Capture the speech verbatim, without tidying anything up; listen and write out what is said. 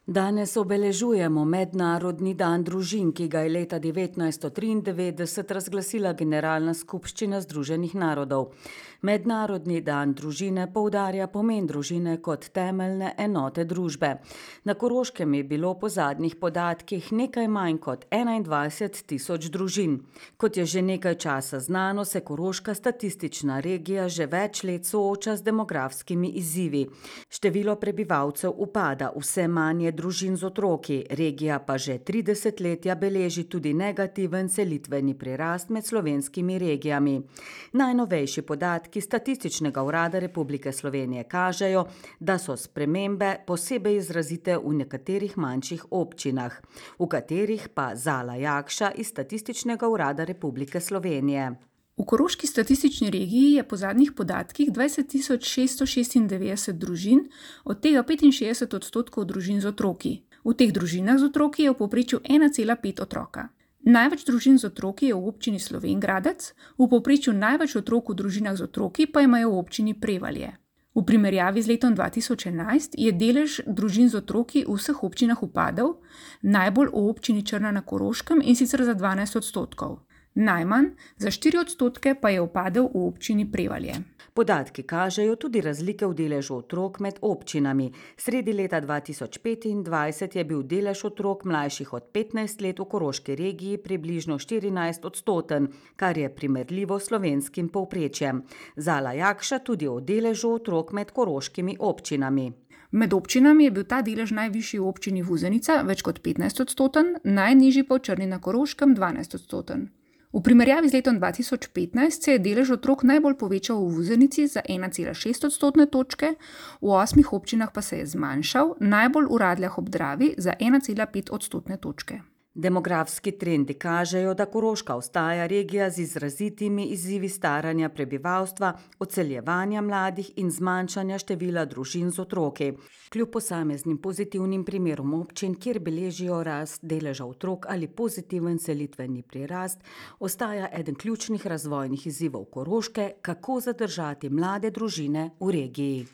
Danes obeležujemo Mednarodni dan družin, ki ga je leta devetnajststo triindevetdeset razglasila Generalna skupščina Združenih narodov. Mednarodni dan družine poudarja pomen družine kot temeljne enote družbe. Na Koroškem je bilo po zadnjih podatkih nekaj manj kot enaindvajset tisoč družin. Kot je že nekaj časa znano, se koroška statistična regija že več let sooča z demografskimi izzivi. Število prebivalcev upada, vse manj je družin z otroki, regija pa že tri desetletja beleži tudi negativen selitveni prirast med slovenskimi regijami. Najnovejši podatki Statističnega urada Republike Slovenije kažejo, da so spremembe posebej izrazite v nekaterih manjših občinah, v katerih pa Zala Jakša iz Statističnega urada Republike Slovenije. V koroški statistični regiji je po zadnjih podatkih dvajset tisoč šeststo šestindevetdeset družin, od tega petinšestdeset odstotkov družin z otroki. V teh družinah z otroki je v povprečju ena cela pet otroka. Največ družin z otroki je v občini Slovenj Gradec, v povprečju največ otrok v družinah z otroki pa imajo v občini Prevalje. V primerjavi z letom dva tisoč enajst je delež družin z otroki v vseh občinah upadel, najbolj v občini Črna na Koroškem, in sicer za dvanajst odstotkov. Najmanj, za štiri odstotke, pa je upadel v občini Prevalje. Podatki kažejo tudi razlike v deležu otrok med občinami. Sredi leta dva tisoč petindvajset je bil delež otrok mlajših od petnajst let v koroški regiji približno štirinajst odstoten, kar je primerljivo s slovenskim povprečjem. Zala Jakša tudi o deležu otrok med koroškimi občinami. Med občinami je bil ta delež najvišji v občini Vuzenica, več kot petnajst odstoten, najnižji pa v Črni na Koroškem, dvanajst odstoten. V primerjavi z letom dva tisoč petnajst se je delež otrok najbolj povečal v Vuzenici za ena cela šest odstotne točke, v osmih občinah pa se je zmanjšal, najbolj v Radljah ob Dravi za ena cela pet odstotne točke. Demografski trendi kažejo, da Koroška ostaja regija z izrazitimi izzivi staranja prebivalstva, odseljevanja mladih in zmanjšanja števila družin z otroki. Kljub posameznim pozitivnim primerom občin, kjer beležijo rast deleža otrok ali pozitiven selitveni prirast, ostaja eden ključnih razvojnih izzivov Koroške, kako zadržati mlade družine v regiji.